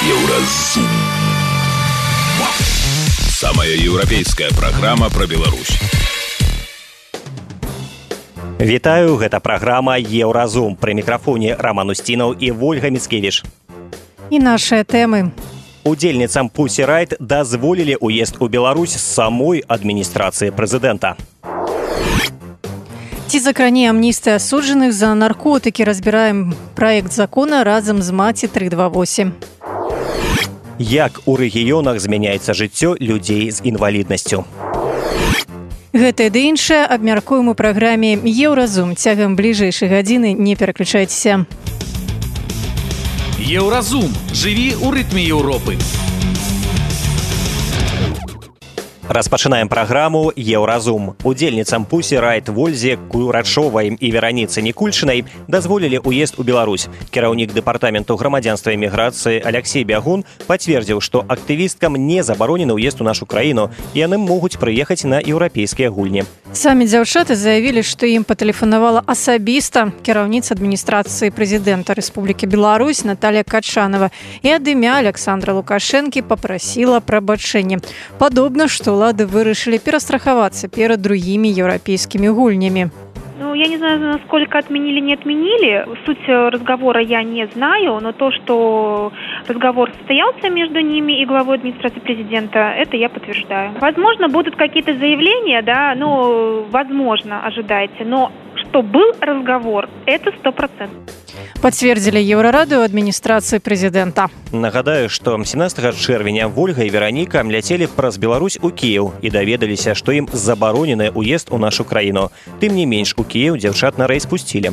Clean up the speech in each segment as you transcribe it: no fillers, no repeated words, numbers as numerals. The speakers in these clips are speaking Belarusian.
Еўразум. Самая еўрапейская праграма пра Беларусь. Вітаю, гэта праграма «Еўразум». Пры мікрафоне Роман Устінаў і Вольга Міцкевіч. І нашыя тэмы. Удзельніцам Pussy Riot дазволілі ўезд у Беларусь з самой адміністрацыі прэзідэнта. Ці закране амністыя асуджаных за наркотыкі, разбіраем праект закона разам з Маці 328. Як у рэгіёнах змяняецца жыццё людзей з інваліднасцю. Гэта ды іншае абмяркуем у праграме «Еўразум». Цягам бліжэйшай гадзіны не пераключайцеся. Еўразум. Жыві ў рытме Еўропы. Распачынаем праграму «Еўразум». Удзельніцам Pussy Riot Вользе Курачовай і Вераніцы Нікульчынай дазволілі ўезд у Беларусь. Кіраўнік дэпартаменту грамадзянства і міграцыі Алексей Бягун пацвердзіў, што актывісткам не забаронены ўезд у нашу краіну, і яны могуць прыехаць на еўрапейскія гульні. Самі дзяўчаты заявілі, што ім патэлефанавала асабіста кіраўніца адміністрацыі прэзідэнта Рэспублікі Беларусь Наталья Качанова і ад імя Александра Лукашэнкі папрасіла прабачэння. Падобна, што ўлады вырашылі перастрахавацца перад другімі еўрапейскімі гульнямі. Я не знаю, насколько отменили, не отменили. Суть разговора я не знаю, но то, что разговор состоялся между ними и главой администрации президента, это я подтверждаю. Возможно, будут какие-то заявления, да, возможно, ожидайте, но что был разговор, это 100%. Пацвердзілі Еўрараду адміністрацыі прэзідэнта. Нагадаю, што 17 чэрвеня Вольга і Вераніка ляцелі праз Беларусь у Кіеў і даведаліся, што ім забаронены ўезд у нашу краіну. Тым не менш, у Кіеў дзяўчат на рэйс пусцілі.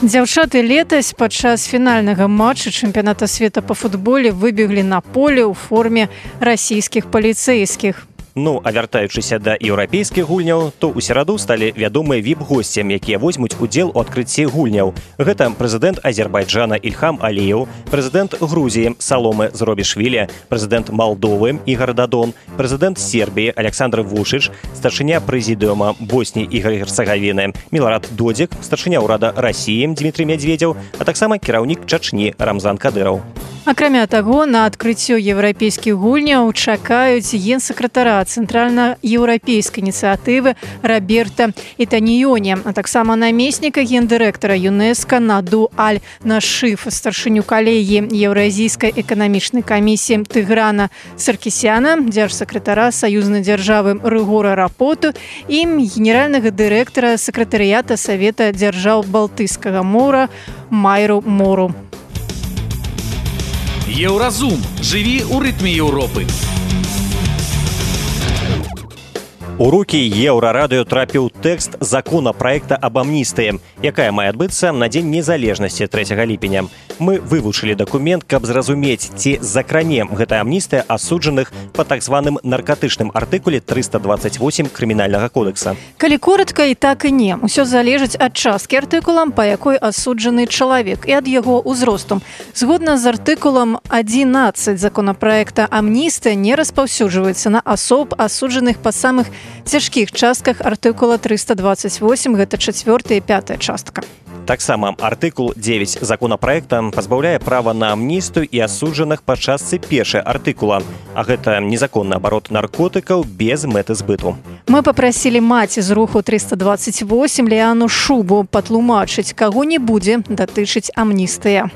Дзяўчаты летась падчас фінальнага матча чэмпіяната свету па футболе выбеглі на поле ў форме расійскіх паліцэйскіх. А вяртаючыся да еўрапейскіх гульняў, то ў сераду сталі вядомыя віп-госцям, якія возьмуць удзел у адкрыцці гульняў. Гэта прэзідэнт Азербайджана Ільхам Аліеў, прэзідэнт Грузіі Саломы Зробішвілі, прэзідэнт Малдовы Ігар Дадон, прэзідэнт Сербіі Александр Вушыч, старшыня прэзідыума Босніі і Герцагавіны Міларад Додзік, старшыня ўрада Расіі Дмітрый Мядзведзеў, а таксама кіраўнік Чачні Рамзан Кадыраў. Акрамя таго, на адкрыццё еўрапейскіх гульняў чакаюць генсакратара цэнтральна-еўрапейскай ініцыятывы Роберта Ітаніёне, а таксама намесніка гендырэктара ЮНЕСКО Наду Аль-Нашиф, старшыню калегіі Еўразійскай эканамічнай камісіі Тыграна Саркісяна, дзяржсакратара саюзнай дзяржавы Рыгора Рапоту і генеральнага дырэктара сакратарыята Савета дзяржаў Балтыйскага мора Майру Мору. Еўразум. Жыві ў рытме Еўропы. У рукі Еўрарадыё трапіў тэкст законапраекта аб амністыі, якая мае адбыцца на Дзень незалежнасці 3 ліпеня. Мы вывучылі дакумент, каб зразумець, ці закране гэтая амністыя асуджаных па так званым наркатычным артыкуле 328 крымінальнага кодекса. Калі коратка, і так і не. Усё залежыць ад часткі артыкулам, па якой асуджаны чалавек, і ад яго ўзросту. Згодна з артыкулам 11 законапраекта амністыя не распаўсюджваецца на асоб, асуджаных па самых цяжкіх частках артыкула 328, гэта 4 і 5 частка. Таксама артыкул 9 законапраекта пазбаўляе права на амністыю і асуджаных па частцы 1 артыкула, а гэта незаконны абарот наркотыкаў без мэты збыту. Мы папрасілі маці з руху 328 Ліану Шубу патлумачыць, каго не будзе датычыць амністыя.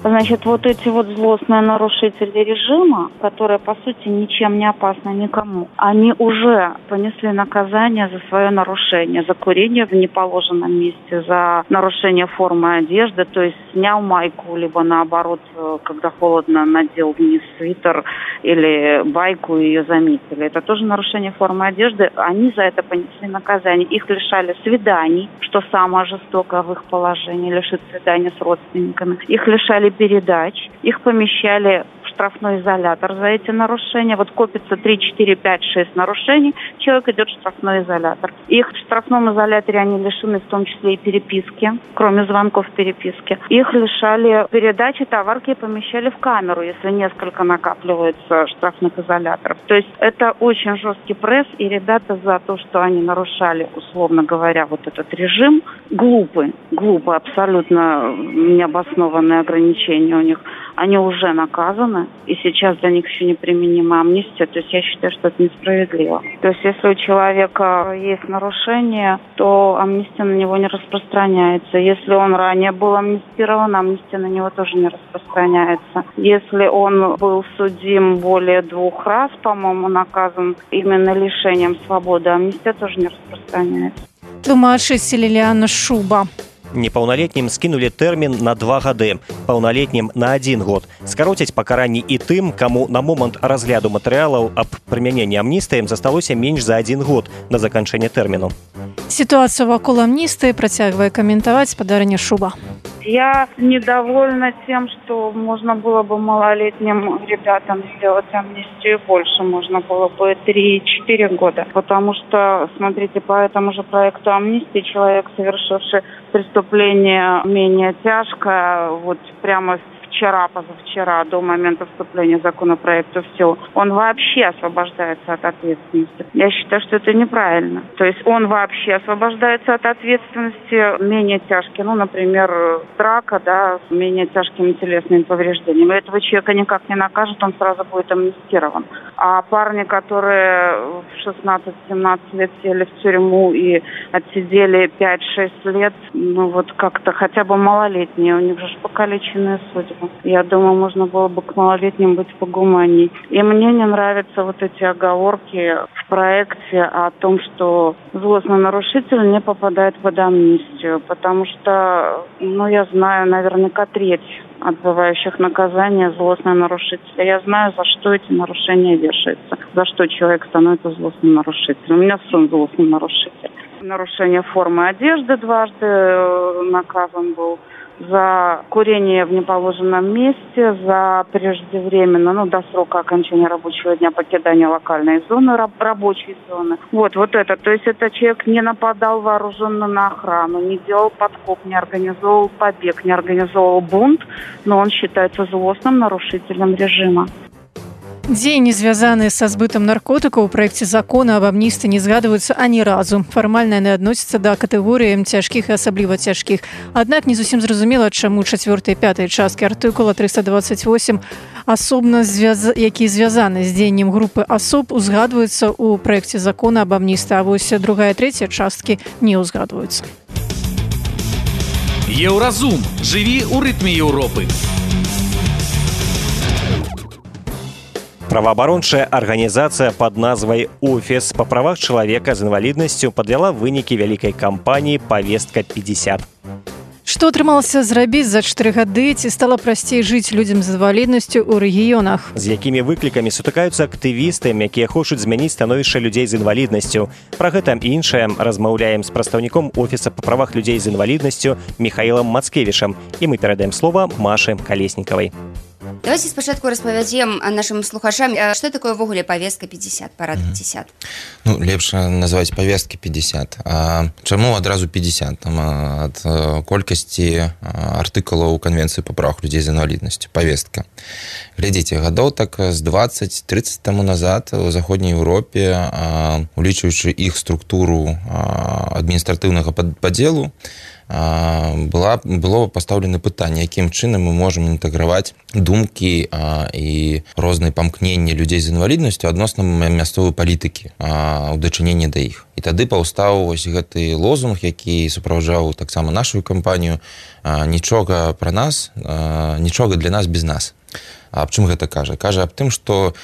Значит, эти злостные нарушители режима, которые, по сути, ничем не опасны никому, они уже понесли наказание за свое нарушение, за курение в неположенном месте, за нарушение формы одежды, то есть снял майку, либо наоборот, когда холодно, надел вниз свитер или байку и ее заметили. Это тоже нарушение формы одежды. Они за это понесли наказание. Их лишали свиданий, что самое жестокое в их положении, лишить свидания с родственниками. Их лишали передач, их помещали в штрафной изолятор за эти нарушения. Копится 3, 4, 5, 6 нарушений, человек идет в штрафной изолятор. Их в штрафном изоляторе они лишены в том числе и переписки, кроме звонков переписки. Их лишали передачи товарки и помещали в камеру, если несколько накапливается штрафных изоляторов. То есть это очень жесткий пресс, и ребята за то, что они нарушали, условно говоря, этот режим, глупо, абсолютно необоснованные ограничения у них. они уже наказаны, и сейчас для них еще не применима амнистия. То есть я считаю, что это несправедливо. То есть если у человека есть нарушение, то амнистия на него не распространяется. Если он ранее был амнистирован, амнистия на него тоже не распространяется. Если он был судим более 2 раз, по-моему, наказан именно лишением свободы, амнистия тоже не распространяется. Тлумачыць Ліліяна Шуба. Непаўналетнім скінулі тэрмін на 2 гады, паўналетнім на 1 год. Скароцяць пакаранні і тым, каму на момант разгляду матэрыялаў аб прымяненні амністыі засталося менш за 1 год на заканчэнне тэрміну. Ситуацию вокруг амнистии працягвае каментаваць спадарыня Шуба. Я недовольна тем, что можно было бы малолетним ребятам сделать амнистию больше. Можно было бы 3-4 года. Потому что, смотрите, по этому же проекту амнистии человек, совершивший преступление менее тяжкое, вот прямо вчера, позавчера, до момента вступления законопроекта в силу, он вообще освобождается от ответственности. Я считаю, что это неправильно. То есть он вообще освобождается от ответственности менее тяжкие. Ну, например, драка, да, с менее тяжкими телесными повреждениями. Этого человека никак не накажут, он сразу будет амнистирован. А парни, которые в 16-17 лет сели в тюрьму и отсидели 5-6 лет, ну вот как-то хотя бы малолетние, у них же покалеченные судьбы. Я думаю, можно было бы к малолетним быть погуманней. И мне не нравятся вот эти оговорки в проекте о том, что злостный нарушитель не попадает под амнистию. Потому что, ну, я знаю наверняка треть отбывающих наказания злостные нарушители. Я знаю, за что эти нарушения вешаются, за что человек становится злостным нарушителем. У меня сын злостный нарушитель. Нарушение формы одежды дважды наказан был. За курение в неположенном месте, за преждевременно, до срока окончания рабочего дня покидания локальной зоны, рабочей зоны. Вот это. То есть этот человек не нападал вооруженно на охрану, не делал подкоп, не организовывал побег, не организовывал бунт, но он считается злостным нарушителем режима. Дзеянні, звязаныя са збытам наркотыкаў у праекце закона аб амністыі не згадваюцца ані разу. Фармальна яны адносяцца да катэгорыі цяжкіх і асабліва цяжкіх. Аднак не зусім зразумела, чаму 4 і 5 часткі артыкула 328 асобна які звязаны з дзеяннем групы асоб узгадваюцца ў праекце закона аб амністыі, а вось 2 і 3 часткі не ўзгадваюцца. Еўразум. Жыві ў рытме Еўропы. Праваабарончая арганізацыя пад назвай «Офіс па правах чалавека з інваліднасцю» падвяла вынікі вялікай кампаніі «Павестка-50». Што атрымалася зрабіць за 4 гады, ці стала прасцей жыць людзям з інваліднасцю ў рэгіёнах? З якімі выклікамі сутыкаюцца актывісты, якія хочуць змяніць становішча людзей з інваліднасцю. Пра гэта і іншае размаўляем з прадстаўніком Офіса па правах людзей з інваліднасцю Михаілам Мацкевічам. І мы перадаем слова Машы Калеснікавай. Давайте спачатку распавядзем нашим слухачам, што такое ввогуле павестка 50, парад 50. Лепш называць павесткі 50. А чаму адразу 50? Там ад колькасці артыкулаў Канвенцыі па правах людзей з інваліднасцю. Павестка. Глядзіце, гадоў так з 20-30 таму назад у заходняй Еўропе, улічваючы іх структуру адміністратыўнага падзелу, было пастаўлена пытанне, якім чынам мы можам інтэграваць думкі і розныя памкненні людзей з інваліднасцю адносна мясцовай палітыкі ў дачыненні да іх. І тады паўстаў вось гэты лозунг, які суправаджаў таксама нашу кампанію «Нічога пра нас, нічога для нас без нас». Аб чым гэта кажа? Кажа аб тым, што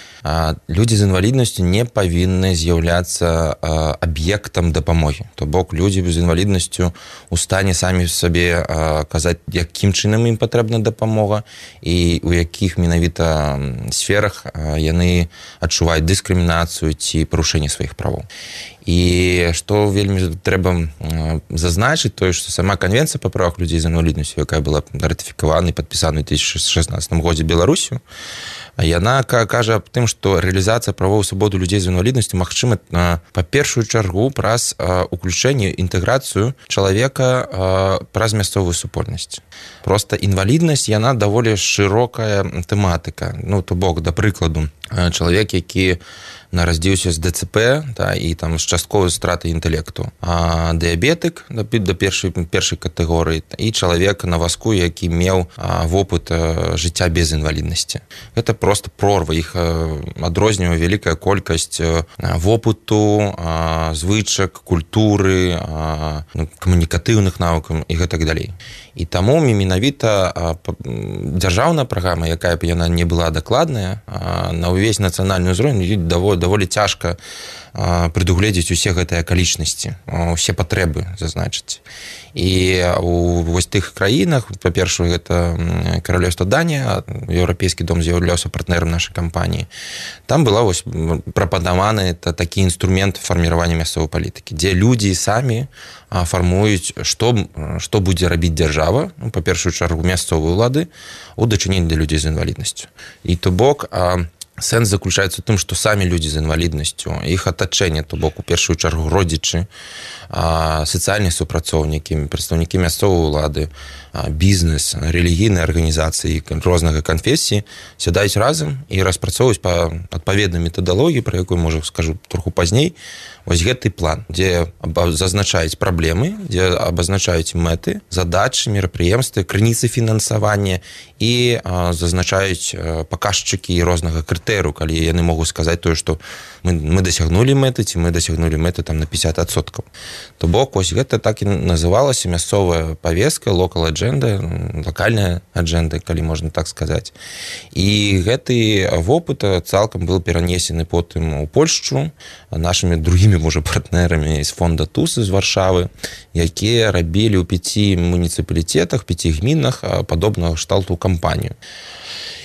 людзі з інваліднасцю не павінны з'яўляцца аб'ектам дапамогі. То бок людзі з інваліднасцю у стане самі сабе казаць, якім чынам ім патрэбна дапамога і у якіх менавіта сферах яны адчуваюць дыскрымінацыю ці парушэнне сваіх правоў. І што вельмі трэба зазначыць, тое, што сама Канвенцыя па правах людзей з інваліднасцю, якая была ратыфікавана і падпісана ў 2016 годзе Беларусю, яна кажа аб тым, што рэалізацыя правоў і свабоды людзей з інваліднасцю магчыма па першую чаргу праз уключэнне, інтэграцыю чалавека праз мясцовую супольнасць. Проста інваліднасць, яна даволі шырокая тэматыка. То бок, да прыкладу, чалавек, які нарадзіўся з ДЦП, і там з частковай стратай інтэлекту, дыябетык да першай катэгорыі і чалавек на вазку, які меў вопыт жыцця без інваліднасці. Гэта просто прорва, іх адрознівае вялікая колькасць вопыту, звычак, культуры, камунікатыўных навыкаў і гэтак далей. І таму менавіта дзяржаўная праграма, якая б яна не была дакладная, на ўвесь нацыянальны ўзровень даволі цяжка прадугледзець усе гэтыя акалічнасці, усе патрэбы зазначыць. І у вось тых краінах, па-першае, гэта Каралеўства Данія, Еўрапейскі дом з'яўляўся партнерам нашай кампаніі. Там была вось прапанаваны такі інструмент фарміравання мясцовай палітыкі, дзе людзі самі фармуюць, што будзе рабіць дзяржава, па першую чаргу мясцовыя ўлады, у дачыненні да людзей з інваліднасцю. І то бок сэнс заключаецца ў тым, што самі людзі з інваліднасцю, іх атачэнне, то бок у першую чаргу родзічы, сацыяльныя супрацоўнікі, прадстаўнікі мясцовай улады, бізнес, рэлігійныя арганізацыі рознага канфесіі сядаюць разам і распрацоўваюць па адпаведнай метадалогіі, пра якую, можа, скажу троху пазней, вось гэты план, дзе зазначаюць праблемы, дзе абазначаюць мэты, задачы, мерапрыемствы, крыніцы фінансавання і зазначаюць паказчыкі рознага крытэрыю, калі яны могуць сказаць тое, што мы дасягнулі мэты, ці мы дасягнулі мэты там на 50%. То бок, вось гэта так і называлася мясцовая павестка, local agenda, локальная аджэнда, калі можна так сказаць. І гэты вопыт цалкам быў перанесены потым у Польшчу нашымі другімі, можа, партнерамі з фонда ТУС з Варшавы, якія рабілі ў 5 муніцыпалітетах, 5 гмінах падобнага кшталту кампанію.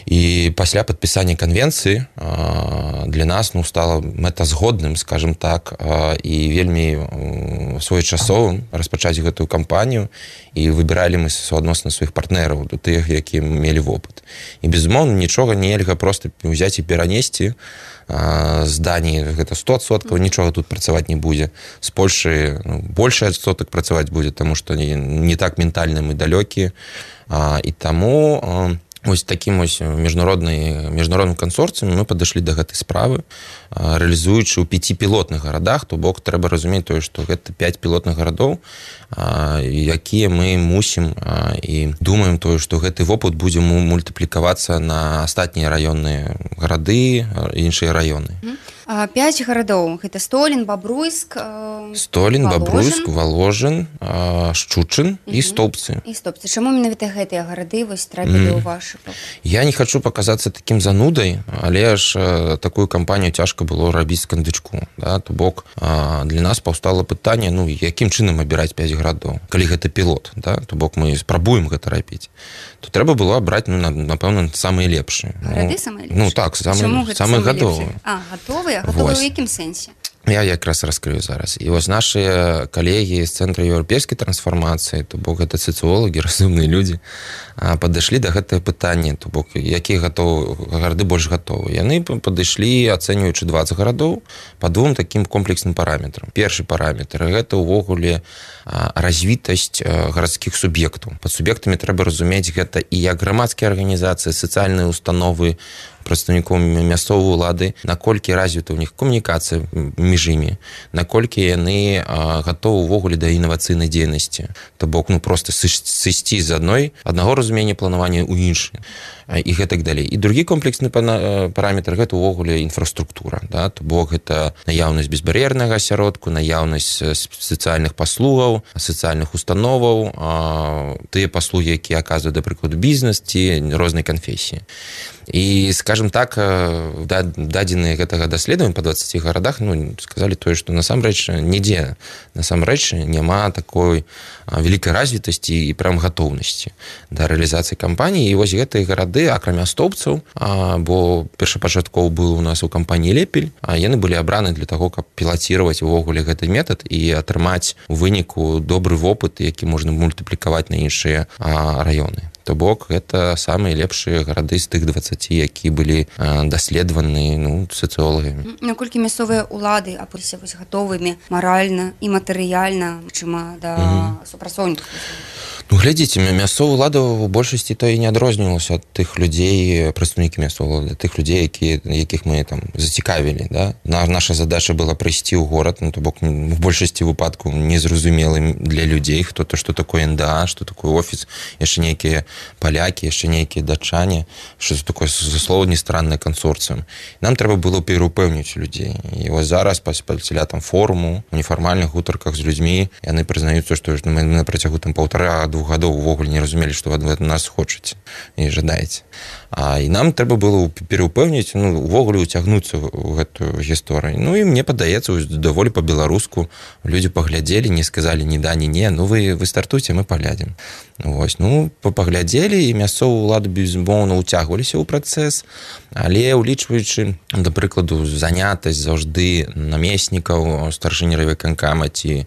І пасля падпісання канвенцыі для нас стала мэтазгодным, скажем так, і вельмі своечасовым распачаць гэтую кампанію, і выбіралі мы суадносна сваіх партнераў, тых, якія мелі вопыт. І, безумоўна, нічога нельга проста ўзяць і перанесці з Даніі, гэта 100%, нічога тут працаваць не будзе. З Польшы большы адсотак працаваць будзе, таму што не так ментальна мы далёкія. І таму вось такім міжнародным кансорцыям мы падышлі да гэтай справы, рэалізуючы ў 5 пілотных гарадах, то бок трэба разумець тое, што гэта 5 пілотных гарадоў, якія мы мусім і думаем тое, што гэты вопыт будзе мультыплікавацца на астатнія раённыя гарады, іншыя раёны. 5 гарадоў, гэта Столін, Бабруйск, Бабруйск, Воложин, Шчучын і Столбцы. Чаму менавіта гэтыя гарады вось трапілі ў вашы? Я не хочу паказацца такім занудай, але ж такую кампанію цяжка было рабіць з кандычку. То бок для нас паўстала пытанне, якім чынам абіраць 5 гарадоў, калі гэта пілот, то бок мы спрабуем гэта рабіць, то трэба было абраць, напэўна, самыя лепшыя. Гарады самыя лепшыя? Так, самыя гатовыя. Гатовыя? Гатовыя ў якім сэнсе? Я якраз раскрыю зараз. І вось нашыя калегі з Цэнтра еўрапейскай трансфармацыі, то бок гэта сацыолагі, разумныя людзі, падышлі да гэтага пытання, то бок якія гарады больш гатовы. Яны падышлі, ацэньваючы 20 гарадоў, па 2 такім комплексным параметрам. Першы параметр – гэта ўвогуле развітасць гарадскіх суб'ектаў. Пад суб'ектамі трэба разумець гэта і як грамадскія арганізацыі, сацыяльныя установы, прадстаўнікоў мясцовай улады, наколькі развіта ў них камунікацыя між імі, наколькі яны гатовы ўвогуле да інавацыйнай дзейнасці. То бок, проста сысці з аднаго разумення планавання ў іншае. І гэтак далей. І другі комплексны параметр – гэта ўвогуле інфраструктура. То бок, гэта наяўнасць безбар'ернага асяродку, наяўнасць сацыяльных паслугаў, сацыяльных установаў, тыя паслугі, якія аказваюць, да прыкладу, бізнес ці рознай канфесіі. І, скажем так, дадзеныя гэтага даследавання па 20 гарадах сказалі тое, што насамрэч нідзе няма такой вялікай развітасці і прям гатоўнасці да рэалізацыі кампаніі. І вось гэтыя гарады, акрамя Столбцаў, бо першапачаткова быў у нас у кампаніі Лепель, яны былі абраны для таго, каб пілаціраваць увогуле гэты метад і атрымаць у выніку добры вопыт, які можна мультыплікаваць на іншыя раёны. То бок, гэта самыя лепшыя гарады з тых 20, якія былі даследаваны сацыолагамі. Наколькі мясцовыя ўлады апыліся гатовымі маральна і матэрыяльна, чым да супрацоўнікаў? Ну, глядзіце, мясцовая ўлада ў большасці то і не адрознівалася ад тых людзей, прадстаўнікі мясцовай ўлады, тых людзей, якіх мы там зацікавілі. Да? Наша задача была прыйсці ў горад, ну, то бок в большасці выпадкаў незразумелы для людзей, што такое НДА, што такое офіс, яшчэ нейкія палякі, яшчэ нейкія датчане, што такое заслоўні страннае кансорцыум. Нам трэба было пераўпэўніць людзей. І вось зараз пасля там форуму, у нефармальных гутарках з людзьмі, яны прызнаюцца, што мы на працягу там 1,5-2 гадоў увогуле не разумелі, што вы ад нас хочаце і жадаеце. І нам трэба было пераўпэўніць, ну, увогуле уцягнуцца ў гэтую гісторыю. Ну, і мне падаецца, даволі па-беларуску людзі паглядзелі, не сказалі ні да, ні не, ну, вы стартуйце, мы паглядзім. Вось, ну, паглядзелі, і мясцовую ўладу, безумоўна, уцягваліся ў працэс, але улічваючы, да прыкладу, занятасць заўжды намеснікаў, старшыні райвыканкама ці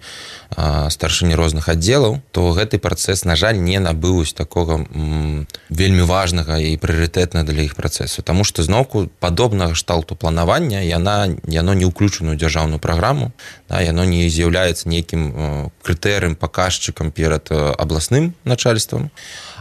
старшыні розных аддзелаў, то гэты працэс, на жаль, не набыў такога вельмі важнага і прыярытэтнага для іх працэсу. Таму што зноўку падобнага шталту планавання яно не ўключана ў дзяржаўную праграму, да, яно не з'яўляецца нейкім крытэрыем, паказчыкам перад абласным начальствам.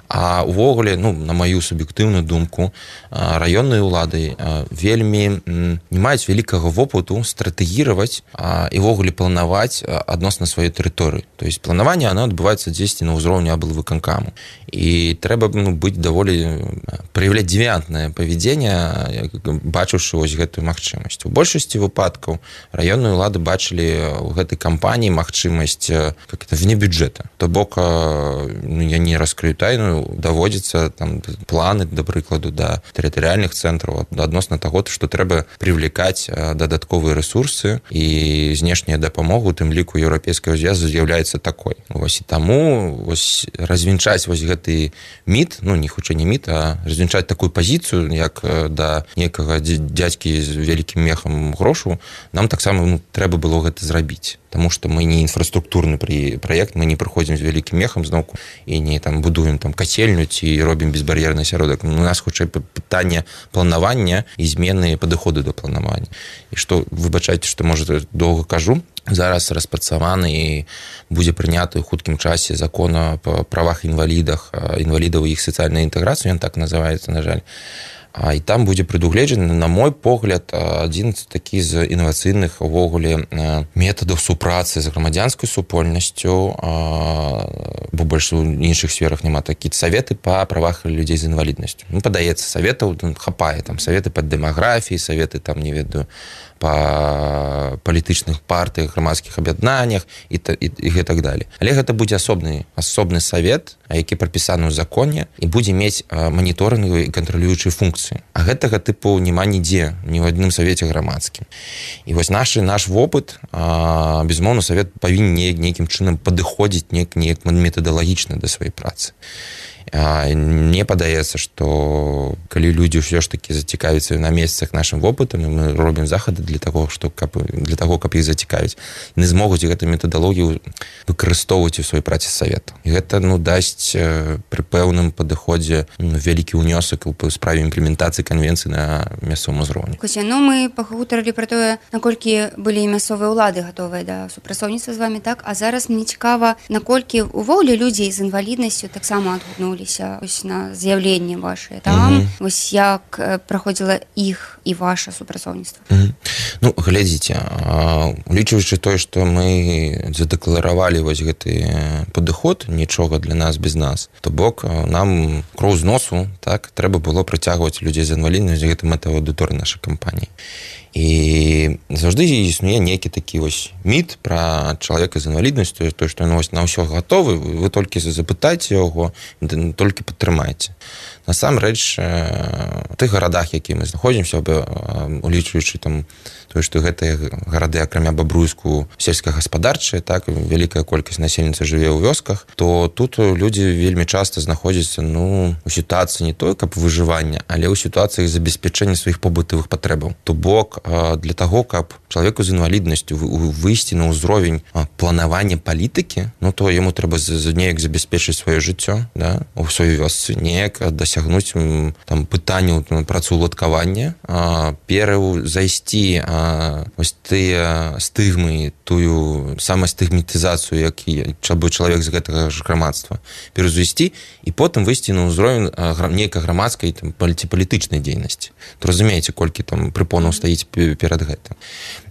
А ўвогуле, ну, на маю суб'ектыўную думку, раённыя ўлады вельмі не маюць вялікага вопыту стратэгіраваць і ўвогуле планаваць адносна сваёй тэрыторыі. То есть планаванне, оно адбываецца дзесьці на ўзроўні аблвыканкаму. І трэба быць даволі праяўляць дзевіянтнае павядзенне, бачыўшы вось гэтую магчымасць. У большасці выпадкаў раённыя ўлады бачылі ў гэтай кампаніі магчымасць вне бюджэта. То бок, я не раскрыю тайну, даводзіцца там планы, да прыкладу, да тэрытарыяльных цэнтраў адносна таго, што трэба прывлекаць дадатковыя рэсурсы, і знешняя дапамога, у тым ліку еўрапейскага звязу, з'яўляецца такой. Вось, і таму вось развінчаць вось гэты міт, ну, не хутчэй не міт, а развінчаць такую пазіцыю, як да некага дзядзькі з вялікім мехам грошу, нам таксама, ну, трэба было гэта зрабіць. Таму што мы не інфраструктурны праект, мы не прыходзім з вялікім мехам зноўку і не там будуем там кацельню ці робім безбар'ерны асяродак. У нас хутчэй пытанне планавання і змены падыходу да планавання. І што, выбачайце, што, можа, доўга кажу, зараз распрацаваны і будзе прыняты ў хуткім часе закон о правах інвалідах, інвалідаў і іх сацыяльнай інтэграцыі, ён так называецца, на жаль. І там будзе прадугледжаны, на мой погляд, адзін такі з інавацыйных увогуле метадаў супрацы з грамадзянскай супольнасцю, бо больш у іншых сферах няма такі саветы па правах людзей з інваліднасцю. Ну, падаецца, саветаў хапае, там саветы па дэмаграфіі, саветы там, не ведаю, па палітычных партыях, грамадскіх аб'яднаннях і так далее. Але гэта будзе асобны савет, які прапісаны ў законе, і будзе мець маніторынгавыя і кантралюючыя функцыі. А гэтага тыпу няма нідзе, ні ў адным савеце грамадскім. І вось наш вопыт, безумоўна, савет павінен нейкім чынам падыходзіць неяк метадалагічна да сваёй працы. Мне падаецца, што калі людзі ўсё ж такі зацікавяцца на месцах нашым вопытам, мы робім захады для таго, каб іх зацікавіць, яны змогуць гэту метадалогію выкарыстоўваць у сваёй працы савета. І гэта, ну, дасць пры пэўным падыходзе вялікі ўнёсак у справе імплементацыі канвенцыі на мясцовым узроўні. Коця, ну, мы пагутарылі пра тое, наколькі былі мясцовыя ўлады гатовыя да супрацоўніцтва з вамі, так? А зараз мне цікава, наколькі увогуле людзей з інваліднасцю таксама адгукнулі на з'яўленне вашае там, вось як праходзіла іх і ваша супрацоўніцтва? Ну, глядзіце, улічваючы тое, што мы задэкларавалі вось гэты падыход, нічога для нас без нас, то бок нам кроў з носу, так, трэба было прыцягваць людзей з інваліднасцю, гэта мэта аўдыторыі нашай кампаніі. І заўжды існуе нейкі такі вось міт пра чалавека з інваліднасцю, то, што ён на ўсё гатовы, вы толькі запытайце яго, толькі падтрымайце. Насамрэч, у тых гарадах, які мы знаходзімся, улічваючы там тое, што гэтыя гарады, акрамя Бабруйску, сельскагаспадарчыя, так, вялікая колькасць насельніцтва жыве ў вёсках, то тут людзі вельмі часта знаходзяцца, ну, у сітуацыі не той, каб выжывання, але ў сітуацыі забеспячэння сваіх побытавых патрэбаў. То бок, для таго, каб чалавеку з інваліднасцю выйсці на ўзровень планавання палітыкі, ну то яму трэба неяк забяспечыць сваё жыццё, да, у сваёй вёсцы, неяк дасягнуць там пытанняў працаўладкавання, зайсці вось тыя стыгмы, тую самастыгматызацыю, якую чалавек з гэтага ж грамадства пераўзвесці, і потым выйсці на ўзровень нейкай грамадскай ці палітычнай дзейнасці. То разумееце, колькі там прыпонаў стаіць перад гэтым.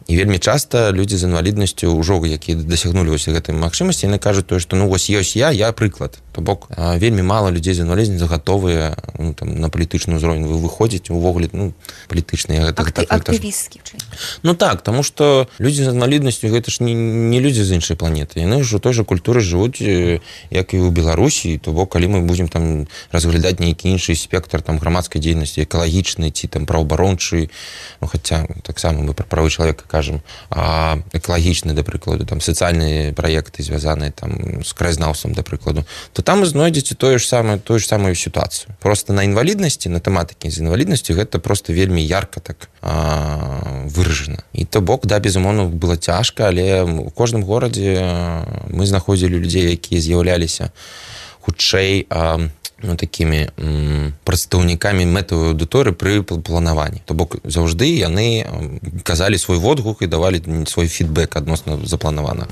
І вельмі часта людзі з інваліднасцю ўжо, якія дасягнулі вось гэтай магчымасці, яны кажуць тое, што ну вось ёсць я прыклад. То бок вельмі мала людзей з інваліднасцю гатовыя на палітычны ўзровень выходзіць увогуле палітычныя актывісткі. Ну так, таму што людзі з інваліднасцю гэта ж не людзі з іншай планеты. Яны ж у той жа культуры жывуць, як і ў Беларусі, то бок калі мы будзем там разглядаць нейкі іншы спектр там грамадскай дзейнасці, экалагічнай ці там праваабарончай, ну хаця таксама мы пра правы чалавека кажам, экалагічны, да прыкладу, там сацыяльныя праекты звязаныя там з краязнаўствам, да прыкладу, то там вы знойдзеце тую ж самую сітуацыю. Просто на інваліднасці, на тэматыкі з інваліднасцю гэта просто вельмі ярка так выражана. І то бок, да, безумоўна, было цяжка, але у кожным горадзе мы знаходзілі людзей, якія з'яўляліся хутчэй такімі прадстаўнікамі мэтавай аўдыторыі пры планаванні. То бок заўжды яны казалі свой водгук і давалі свой фідбэк адносна запланаванага.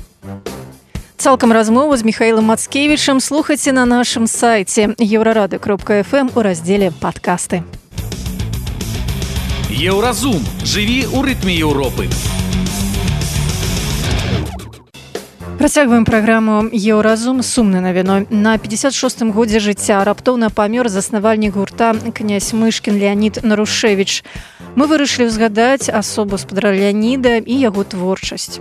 Цалкам размову з Михаілам Мацкевічам слухайце на нашым сайце eurorady.fm у раздзеле «Падкасты». Еўразум. Жыві ў рытме Еўропы. Працягваем праграму «Еўразум» з сумнай навіной. На 56-м годзе жыцця раптоўна памёр заснавальнік гурта князь Мышкін Леанід Нарушевіч. Мы вырашылі ўзгадаць асобу спадара Леаніда і яго творчасць.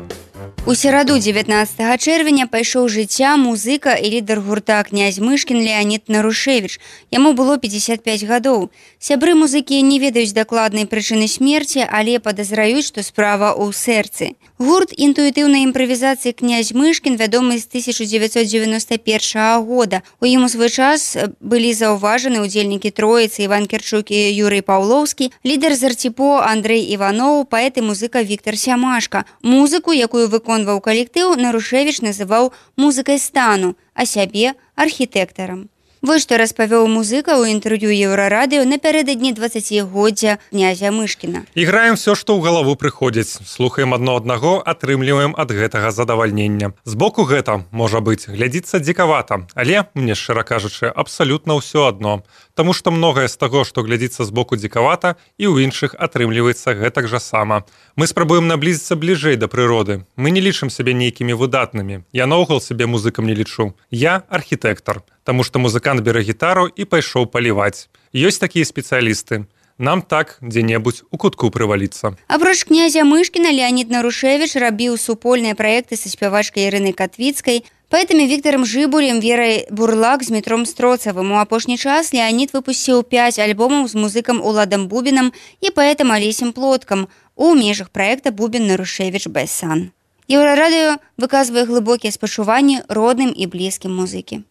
У сераду 19 чэрвеня пайшоў жыцця музыка і лідар гурта князь Мышкін Леанід Нарушевіч. Яму было 55 гадоў. Сябры музыкі не ведаюць дакладнай прычыны смерці, але падазраюць, што справа ў сэрцы. Гурт інтуітыўнай імправізацыі князь Мышкін вядомы з 1991 года. У ім у свой час былі заўважаны ўдзельнікі Троіцы Іван Кірчук і Юрый Паўлоўскі, лідар Зарціпо Андрэй Іваноў, паэт і музыка Віктар Сямашка. Музыку, якую выконваў калектыў, Нарушевіч называў музыкай стану, а сябе архітэктарам. Вось што распавёў музыка ў інтэрв'ю Еўрарадыё напярэдадні 20-годдзя князя Мышкіна. Іграем все, што ў галаву прыходзіць. Слухаем адно аднаго, атрымліваем ад гэтага задавальнення. Збоку гэта, можа быць, глядзіцца дзікавата, але, мне шчыра кажучы, абсалютна ўсё адно. Таму што многае з таго, што глядзіцца збоку дзікавата, і ў іншых атрымліваецца гэтак жа сама. Мы спрабуем наблізіцца бліжэй да прыроды. Мы не лічым сябе нейкімі выдатнымі. Я наогул сябе музыкам не лічу. Я архітэктар. Таму што музыкант бере гітару і пайшоў паліваць. Ёсць такія спецыялісты. Нам так дзе-небудзь у кутку прываліцца. Апроч князя Мышкіна, Леанід Нарушевіч рабіў супольныя праекты са спявачкай Ірынай Катвіцкай, паэтамі Віктарам Жыбулем, Верай Бурлак, з Дмітром Строцавым. У апошні час Леанід выпусціў 5 альбомаў з музыкам Уладам Бубінам і паэтам Алесем Плоткам у межах праекта «Бубін Нарушевіч Бэсан». Еўрарадыё выказвае глыбокія спачуванні родным і блізкім музыкі.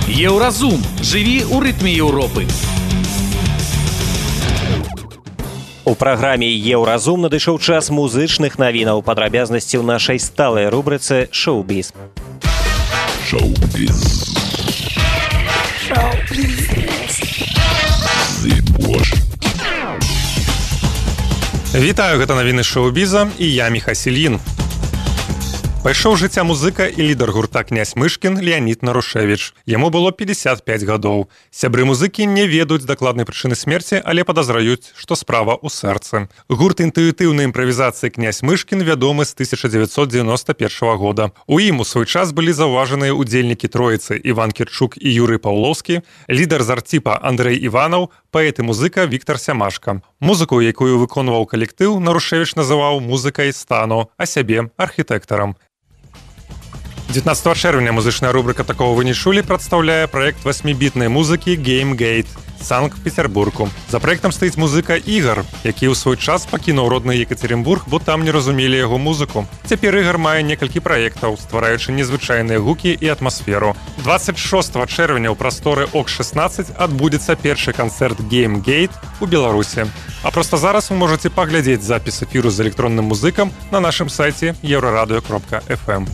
Еўразум. Жыві ў рытме Еўропы. У праграме «Еўразум» надышоў час музычных навінаў, падрабязнасці ў нашай сталай рубрыцы «Шоу-біз». Шоу-біз. Вітаю, гэта навіны шоу-біза і я Міхасільін. Пайшоў жыцця музыка і лідар гурта князь Мышкін Леанід Нарушевіч. Яму было 55 гадоў. Сябры музыкі не ведаюць дакладнай прычыны смерці, але падазраюць, што справа ў сэрцы. Гурт інтуітыўнай імправізацыі князь Мышкін вядомы з 1991 года. У ім у свой час былі заўважаныя ўдзельнікі Троіцы Іван Кірчук і Юрый Паўлоўскі, лідар Зарціпа Андрэй Іванаў, паэт і музыка Віктар Сямашка. Музыку, якую выконваў калектыў, Нарушевіч называў музыкай стану, а сябе архітэктарам. 19 чэрвеня музычная рубрика «Такого вы не чулі» прадстаўляе праект 8-бітнай музыкі GameGate Санкт-Петербургу. За праектам стаіць музыка Ігар, які ў свой час пакінуў родны Екатеринбург, бо там не разумелі яго музыку. Цяпер Ігар мае некалькі праектаў, ствараючы незвычайныя гукі і атмасферу. 26 чэрвеня ў прасторы ОК-16 адбудзецца першы канцэрт GameGate у Беларусі. А проста зараз вы можаце паглядзець запіс эфіру з электронным музыкам на нашым сайце euradio.fm.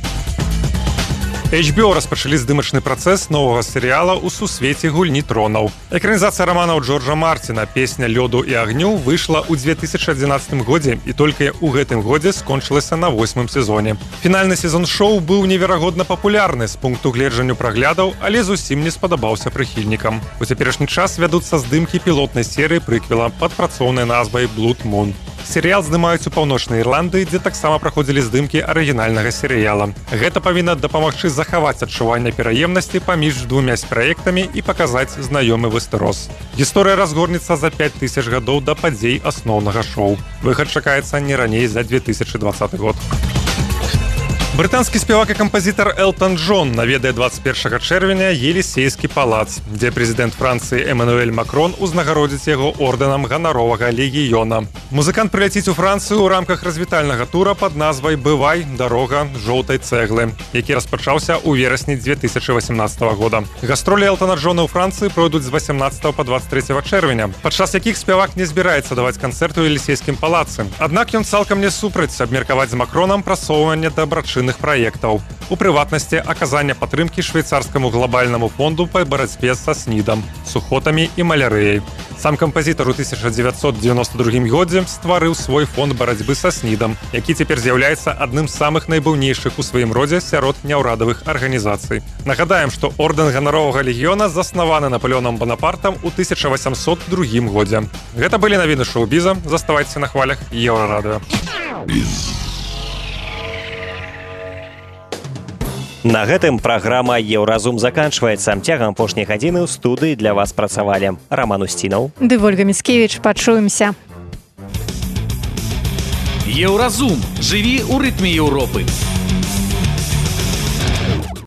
HBO распачалі здымачны працэс новага серыяла ў сусвеце гульні тронаў. Экранізацыя раманаў Джорджа Мартина «Песня лёду і агню» выйшла ў 2011 годзе і толькі ў гэтым годзе скончылася на 8-м сезоне. Фінальны сезон шоу быў неверагодна папулярны з пункту гледжання праглядаў, але зусім не спадабаўся прыхільнікам. У цяперашні час вядуцца здымкі пілотнай серыі прыквела пад працоўнай назвай «Blood Moon». Серыял здымаюць у паўночнай Ірландыі, дзе таксама праходзілі здымкі арыгінальнага серыяла. Гэта павінна дапамагчы захаваць адчуванне пераемнасці паміж двумя праектамі і паказаць знаёмы выстэрос. Гісторыя разгорнецца за 5000 гадоў да падзей асноўнага шоу. Выхад чакаецца не раней за 2020 год. Брытанскі спевак і кампазітар Элтон Джон наведае 21 чэрвеня Елісейскі палац, дзе прэзідэнт Францыі Эмануэль Макрон узнагародзіць яго ордэнам ганаровага легіёна. Музыкант прыляціць у Францыю ў рамках развітальнага тура пад назвай «Бывай, дарога жоўтай цэглы», які распачаўся ў верасні 2018 года. Гастролі Элтона Джона ў Францыі пройдуць з 18 па 23 чэрвеня, падчас якіх спевак не збіраецца даваць канцэрт у Елісейскім палацы. Аднак ён цалкам не супраць абмеркаваць з Макронам прасоўванне дабрачынных праектаў. У прыватнасці аказання падтрымкі швейцарскаму глобальнаму фонду па барацьбе са СНІДам, сухотамі і малярыяй. Сам кампазітар у 1992 годзе стварыў свой фонд барацьбы са СНІДам, які цяпер з'яўляецца адным з самых найбуйнейшых у сваім родзе сярод няўрадавых арганізацый. Нагадаем, што ордэн ганаровага легіёна заснаваны Напалеонам Банапартам у 1802 годзе. Гэта былі навіны шоу-біза. Заставайцеся на хвалях Еўрарадыё. На гэтым праграма «Еўразум» заканчваецца. Цягам апошняй гадзіны ў студыі для вас працавалі Роман Устінаў ды Вольга Міцкевіч. Пачуемся. Еўразум. Жыві ў рытме Еўропы.